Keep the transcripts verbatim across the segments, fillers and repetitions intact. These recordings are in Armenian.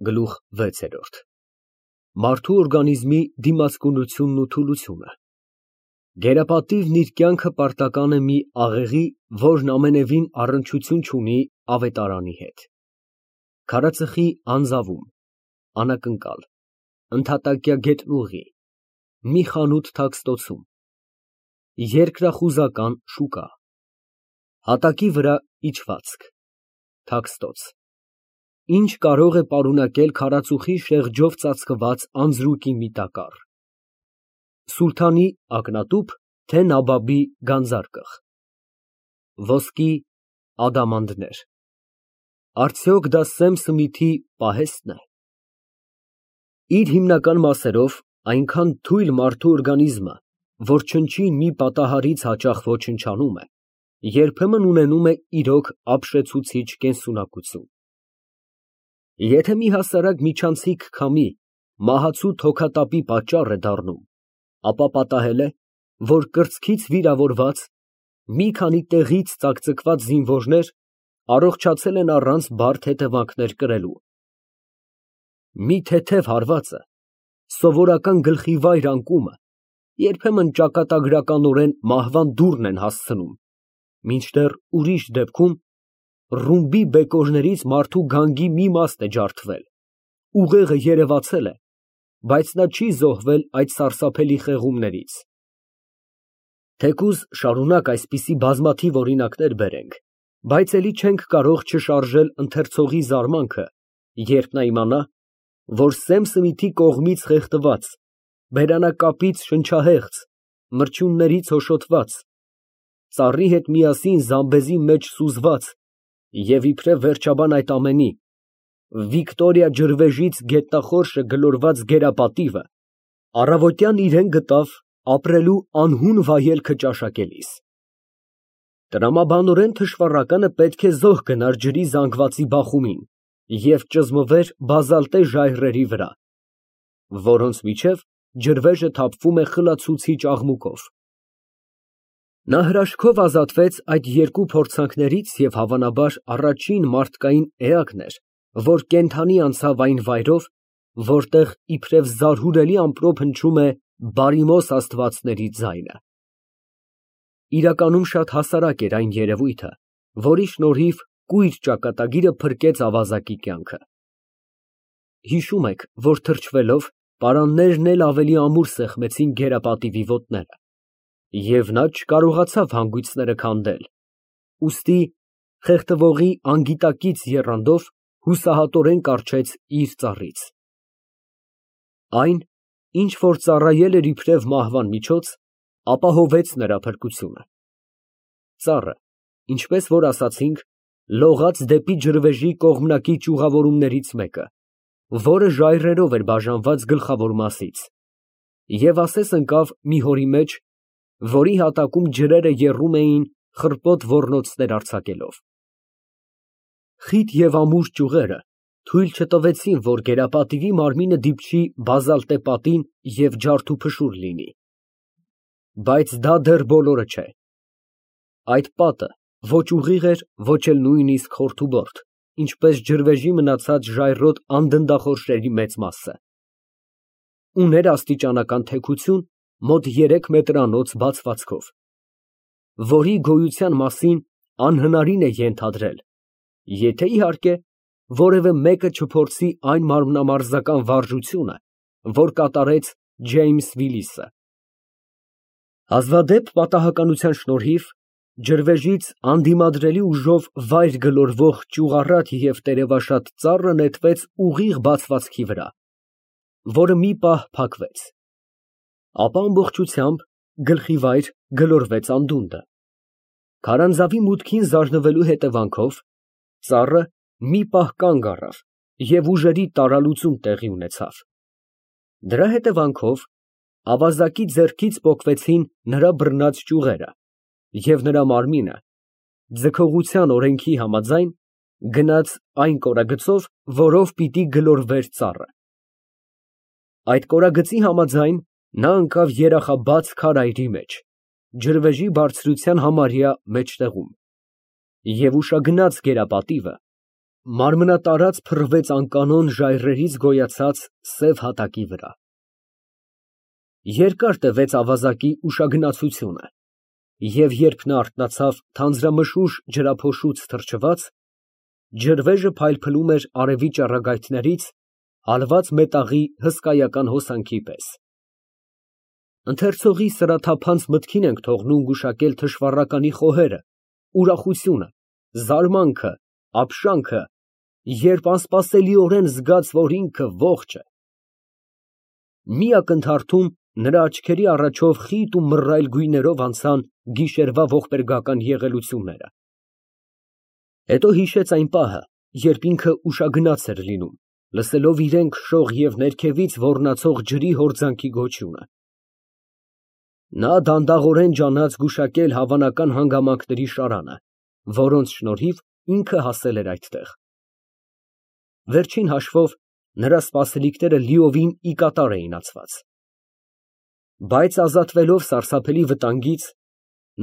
Գլուխ վեցերորդ Մարդու օրգանիզմի դիմացկունությունն ու թուլությունը Գերապատիվն իր կյանքը պարտական է մի աղեղի, որն ամենևին առնչություն չունի ավետարանի հետ։ Քարածխի անձավում, անակնկալ, ընդհատակյա գետնուղի, մի խանութ թաքստոցում, երկրախուզական շուկա, հատակի վրա իջվածք, թաքստոց, ինչ կարող է պարունակել քարածուխի շեղջով ծածկված անձրուկի մի տակառ, սուլթանի ակնատուփ, թե նաբաբի գանձարկղ, ոսկի ադամանդներ, արդյոք դա Սեմ Սմիթի պահե՞ստն է։ Իր հիմնական մասերով այնքան թույլ մարդու օրգանիզմը, որ չնչին մի պատահարից հաճախ ոչնչանում է, երբեմն ունենում է իրոք ապշեցուցիչ կենսունակություն։ Եթե մի հասարակ միջանցիկ քամի մահացու թոքատապի պատճառ է դառնում, ապա պատահել է, որ կրծքից վիրավորված, մի քանի տեղից ծակծկված զինվորներ առողջացել են առանց բարդ հետևանքներ կրելու։ Մի թեթև հարվածը, սովորական գլխիվայր անկումը երբեմն ճակատագրականորեն մահվան դուռն են հասցնում, մինչդեռ ուրիշ դեպքում ռումբի բեկորներից մարդու գանգի մի մասն է ջարդվել, ուղեղը երևացել է, բայց նա չի զոհվել այդ սարսափելի խեղումներից։ Թեկուզ շարունակ այսպիսի բազմաթիվ օրինակներ բերենք, բայց էլի չենք կարող չշարժել ընթերցողի զարմանքը, երբ նա իմանա, որ Սեմ Սմիթի կողմից խեղդված, բերանակապից շնչահեղձ, մրջյուններից հոշոտված, ծառի հետ միասին զամբեզի մեջ սուզված և իբրև վերջաբան այդ ամենի, Վիկտորիա ջրվեժից գետնախորշը գլորված գերապատիվը առավոտյան իրեն գտավ ապրելու անհուն վայելքը ճաշակելիս։ Տրամաբանորեն թշվառականը պետք է զոհ գնար ջրի զանգվածի բախումին և ճզմվեր բազալտե ժայռերի վրա, որոնց միջև ջրվեժը թափվում է խլացուցիչ աղմուկով։ Նա հրաշքով ազատվեց այդ երկու փորձանքներից և հավանաբար առաջին մարդկային էակն էր, որ կենդանի անցավ այն վայրով, որտեղ իբրև զարհուրելի ամպրոպ հնչում է բարիմոս աստվածների ձայնը։ Իրականում շատ հասարակ էր այն երևույթը, որի շնորհիվ կույր ճակատագիրը փրկեց ավազակի կյանքը։ Հիշում եք, որ թրջվելով, պարաններն էլ ավելի ամուր սեղմեցին գերապատիվի ոտները, և նա չկարողացավ հանգույցները քանդել, ուստի խեղդվողի անգիտակից եռանդով հուսահատորեն կառչեց իր ծառից։ Այն, ինչ որ ծառայել էր իբրև մահվան միջոց, ապահովեց նրա փրկությունը։ Ծառը, ինչպես որ ասացինք, լողաց դեպի ջրվեժի կողմնակի ճյուղավորումներից մեկը, որը ժայռերով էր բաժանված գլխավոր մասից, և ասես ընկավ մի հորի մեջ, որի հատակում ջրերը եռում էին խռպոտ ոռնոցներ արձակելով։ Խիտ և ամուր ճյուղերը թույլ չտվեցին, որ գերապատիվի մարմինը դիպչի բազալտե պատին և ջարդուփշուր լինի։ Բայց դա դեռ բոլորը չէ։ Այդ պատը ոչ ուղիղ էր, ոչ էլ նույնիսկ խորթուբորդ, ինչպես ջրվեժի մնացած ժայռոտ անդնդախորշերի մեծ մասը։ Ուներ աստիճանական թեքություն մոտ երեք մետրանոց բացվածքով, որի գոյության մասին անհնարին է ենթադրել, եթե իհարկե որևէ մեկը չփորձի այն մարմնամարզական վարժությունը, որ կատարեց Ջեյմս Վիլիսը։ Հազվադեպ պատահականության շնորհիվ ջրվեժից անդիմադրելի ուժով վայր գլորվող ճյուղառատ և տերևաշատ ծառը նետվեց ուղիղ բացվածքի վրա, որը մի պահ փակվեց, ապա ամբողջությամբ գլխիվայր գլորվեց անդունդը։ Քարանձավի մուտքին զարնվելու հետևանքով ծառը մի պահ կանգ առավ և ուժերի տարալուծում տեղի ունեցավ։ Դրա հետևանքով ավազակի ձեռքից պոկվեցին նրա բռնած ճյուղերը, և նրա մարմինը, ձգողության օրենքի համաձայն, գնաց այն կորագծով, որով պիտի գլորվեր ծառը։ Այդ կորագծի համաձայն նա ընկավ երախաբաց քարայրի մեջ, ջրվեժի բարձրության համարյա մեջտեղում, և ուշագնաց գերապատիվը մարմնատարած փռվեց անկանոն ժայռերից գոյացած սև հատակի վրա։ Երկար տևեց ավազակի ուշագնացությունը, և երբ նա արթնացավ թանձրամշուշ ջրափոշուց թրջված, ջրվեժը փայլփլում էր արևի ճառագայթներից հալված մետաղի հսկայական հոսանքի պես։ Ընթերցողի սրաթափանց մտքին ենք թողնում գուշակել թշվառականի խոհերը, ուրախությունը, զարմանքը, ապշանքը, երբ անսպասելիորեն զգաց, որ ինքը ողջ է։ Մի ակնթարթում նրա աչքերի առաջով խիտ ու մռայլ գույներով անցան գիշերվա ողբերգական եղելությունները։ Հետո հիշեց այն պահը, երբ ինքը ուշագնաց էր լինում, լսելով իրեն քշող և ներքևից ոռնացող ջրի հորձանքի գոչյունը։ Նա դանդաղորեն ջանաց գուշակել հավանական հանգամանքների շարանը, որոնց շնորհիվ ինքը հասել էր այդտեղ։ Վերջին հաշվով, նրա սպասելիքները լիովին ի կատար էին ածված։ Բայց ազատվելով սարսափելի վտանգից,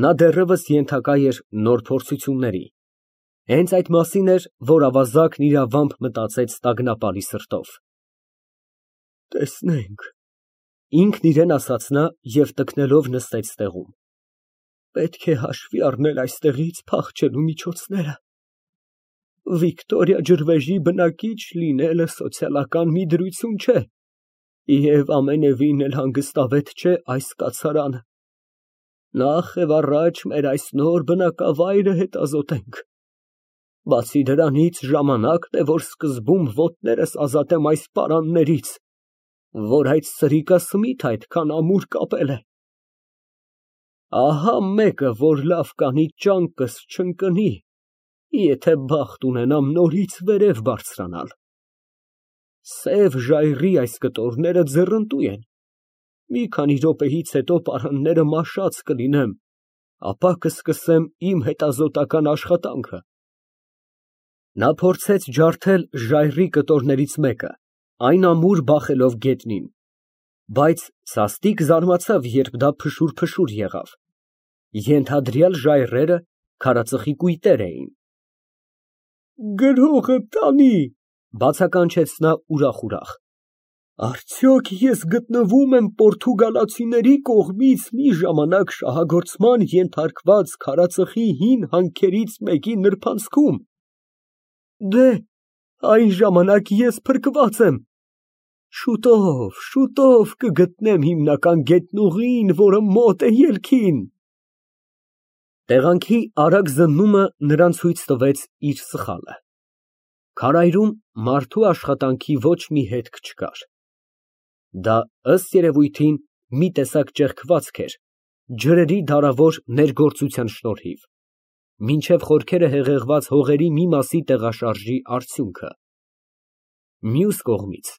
նա դեռևս ենթակա էր նոր փորձությունների։ Հենց այդ մասին էր, որ ավազակն իրավամբ մտածեց տագնապալի սրտով։ Տեսնենք, ինքն իրան ասաց նա և տքնելով նստեց տեղում։ Պետք է հաշվի առնել այստեղից փախչելու միջոցները։ Վիկտորիա ջրվեժի բնակիչ լինելը սոցիալական մի դրություն չէ, և ամենևին էլ հանգստավետ չէ այս կացարանը։ Նախ և առաջ մեր այս նոր բնակավայրը հետազոտենք։ Բացի դրանից, ժամանակն է, որ սկզբում ոտներս ազատեմ այս պարաններից, որ այդ սրիկասմիթ այդքան ամուր կապել է։ Ահա մեկը, որ լավ կանի ճանկս չընկնի, եթե բախտ ունենամ նորից վերև բարձրանալ։ Սև ժայռի այս կտորները ձեռնտու են, մի քանի րոպեից հետո պարանները մաշած կլինեմ, ապա կսկսեմ իմ հետազոտական աշխատանքը։ Նա փորձեց ջարդել ժայռի կտորներից մեկը, այն ամուր բախելով գետնին, բայց սաստիկ զարմացավ, երբ դա փշուր֊փշուր եղավ։ Ենթադրյալ ժայռերը քարածխի կույտեր էին։ Գրողը տանի, բացականչեց նա ուրախ֊ուրախ։ Արդյոք ես գտնվում եմ պորտուգալացիների կողմից մի ժամանակ շահագործման ենթարկված քարածխի հին հանքերից մեկի նրբանցքում։ Դե, այն ժամանակ ես փրկված եմ։ Շուտով, շուտով կգտնեմ հիմնական գետնուղին, որը մոտ է ելքին։ Տեղանքի արագ զննումը նրան ցույց տվեց իր սխալը։ Քարայրում մարդու աշխատանքի ոչ մի հետք չկար։ Դա, ըստ երևույթին, մի տեսակ ճեղքվածք էր, ջրերի դարավոր ներգործության շնորհիվ, մինչև խորքերը հեղեղված հողերի մի մասի տեղաշարժի արդյունքը։ Մյուս կողմից,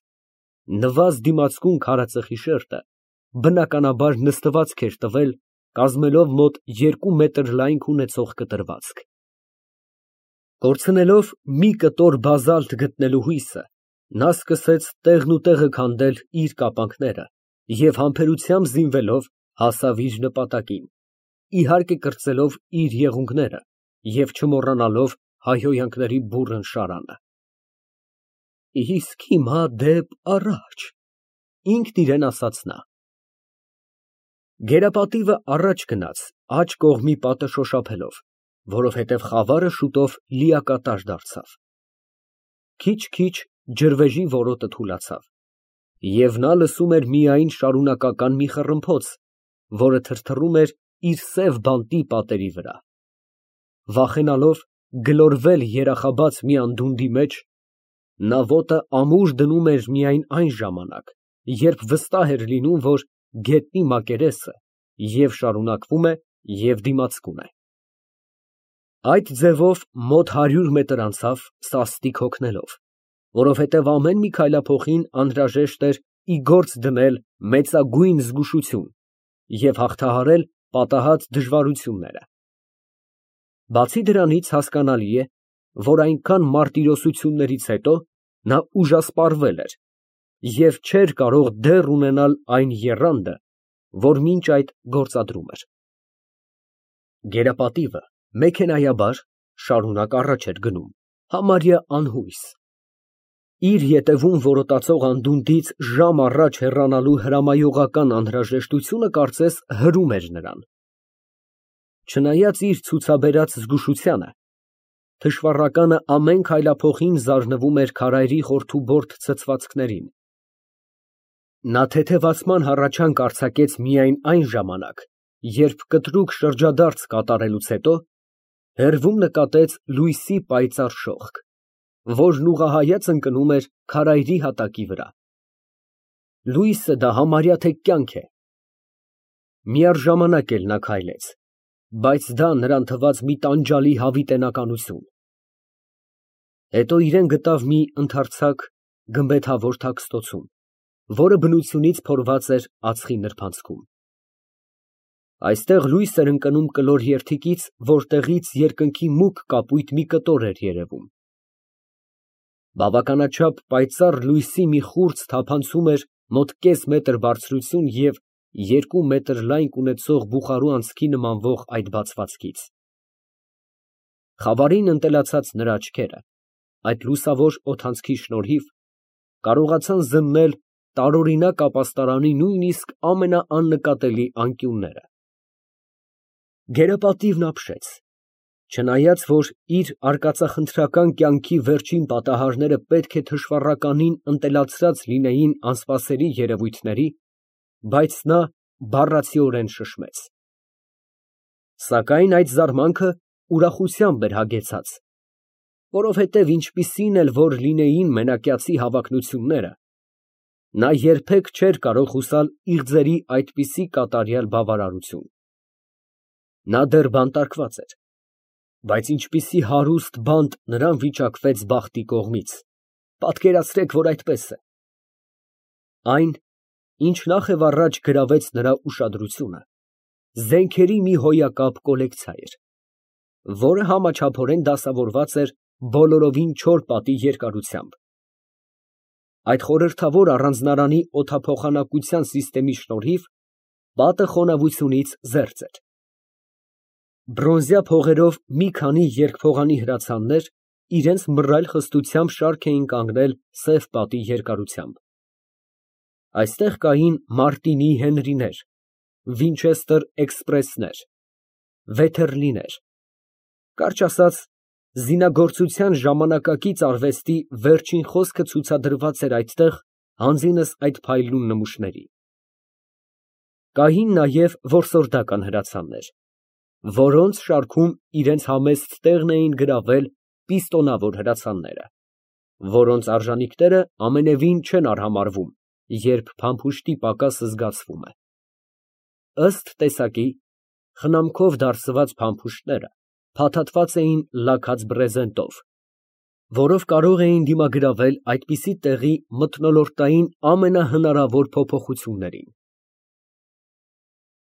նվազ դիմացկուն քարածխի շերտը բնականաբար նստվածք էր տվել, կազմելով մոտ երկու մետր լայնք ունեցող կտրվածք։ Կորցնելով մի կտոր բազալտ գտնելու հույսը, նա սկսեց տեղնուտեղը քանդել իր կապանքները և համբերությամբ զինվելով հասավ իր նպատակին, իհարկե կրծելով իր եղունգները և չմոռանալով հայհոյանքների բուռն շարանը։ Իսկ հիմա դեպ առաջ, ինքն իրան ասաց նա։ Գերապատիվը առաջ գնաց, աջ կողմի պատը շոշափելով, որովհետև խավարը շուտով լիակատար դարձավ։ Քիչ֊քիչ ջրվեժի որոտը թուլացավ, և նա լսում էր միայն շարունակական մի խռմփոց, որը թրթռում էր իր սև բանտի պատերի վրա։ Վախենալով գլորվել երախաբաց մի անդունդի մեջ, նա ոտը ամուր դնում էր միայն այն ժամանակ, երբ վստահ էր լինում, որ գետնի մակերեսը և շարունակվում է, և դիմացկուն է։ Այդ ձևով մոտ հարյուր մետր անցավ սաստիկ հոգնելով, որովհետև ամեն մի քայլափոխին անհրաժեշտ էր ի գործ դնել մեծագույն զգուշություն և հաղթահարել պատահած դժվարությունները։ Բացի դրանից հասկանալի է, որ այնքան մարտիրոսություններից հետո նա ուժասպառվել էր և չէր կարող դեռ ունենալ այն եռանդը, որ մինչ այդ գործադրում էր։ Գերապատիվը մեքենայաբար շարունակ առաջ էր գնում, Համարյա անհույս։ Իր ետևում որոտացող անդունդից ժամ առաջ հեռանալու հրամայողական անհրաժեշտությունը կարծես հրում էր նրան։ Չնայած իր ցուցաբերած զգուշությանը, թշվառականը ամեն քայլափոխին զարնվում էր քարայրի խորթուբորդ ցցվածքներին։ Նա թեթևացման հառաչանք արձակեց միայն այն ժամանակ, երբ կտրուկ շրջադարձ կատարելուց հետո հեռվում նկատեց լույսի պայծառ շողք, որն ուղղահայաց ընկնում էր քարայրի հատակի վրա։ Լույսը դա համարյա թե կյանք է։ Միառժամանակ էլ նա քայլեց, բայց դա նրան թվաց մի տանջալի հավիտենականություն։ Հետո իրան գտավ մի ընդարձակ գմբեթավոր թաքստոցում, որը բնությունից փորված էր ածխի նրբանցքում։ Այստեղ լույս էր ընկնում կլոր երդիկից, որտեղից երկնքի մուգ կապույտ մի կտոր էր երևում։ Բավականաչափ պայծառ լույսի մի խուրձ թափանցում էր մոտ կես մետր բարձրություն և երկու մետր լայնք ունեցող բուխարու անցքի նմանվող այդ բացվածքից։ Խավարին ընտելացած նրա աչքերը, այդ լուսավոր օդանցքի շնորհիվ, կարողացան զննել տարօրինակ ապաստարանի նույնիսկ ամենաաննկատելի անկյունները։ Գերապատիվն ապշեց, չնայած որ իր արկածախնդրական կյանքի վերջին պատահարները պետք է թշվառականին ընտելացրած լինեին անսպասելի երևույթների, բայց նա բառացիորեն շշմեց։ Սակայն այդ զարմանքը ուրախությամբ էր հագեցած, որովհետև ինչպիսին էլ որ լինեին մենակյացի հավակնությունները, նա երբեք չէր կարող հուսալ իղձերի այդպիսի կատարյալ բավարարություն։ Նա դեռ բանտարկված էր, բայց ինչպիսի հարուստ բանտ նրան վիճակվեց բախտի կողմից, պատկերացրեք, որ այդպես է։ Այն, ինչ նախ և առաջ գրավեց նրա ուշադրությունը, զենքերի մի հոյակապ կոլեկցիա էր, որը համաչափորեն դասավորված էր բոլորովին չոր պատի երկարությամբ։ Այդ խորհրդավոր առանձնարանի օդափոխանակության սիստեմի շնորհիվ պատը խոնավությունից զերծ էր։ Բրոնզյա փողերով մի քանի երկփողանի հրացաններ իրենց մռայլ խստությամբ շարք էին կանգնել սև պատի երկարությամբ։ Այստեղ կային Մարտինի Հենրիներ, Վինչեստեր էքսպրեսներ, Վեթերլիներ, կարճ ասած, զինագործության ժամանակակից արվեստի վերջին խոսքը ցուցադրված էր այդտեղ հանձինս այդ փայլուն նմուշների։ Կային նաև որսորդական հրացաններ, որոնց շարքում իրենց համեստ տեղն էին գրավել պիստոնավոր հրացանները, որոնց արժանինքները ամենևին չեն արհամարհվում, երբ փամփուշտի պակասը զգացվում է։ Ըստ տեսակի, խնամքով դարսված փամփուշտները փաթաթված էին լաքած բրեզենտով, որով կարող էին դիմագրավել այդպիսի տեղի մթնոլորտային ամենահնարավոր փոփոխություններին։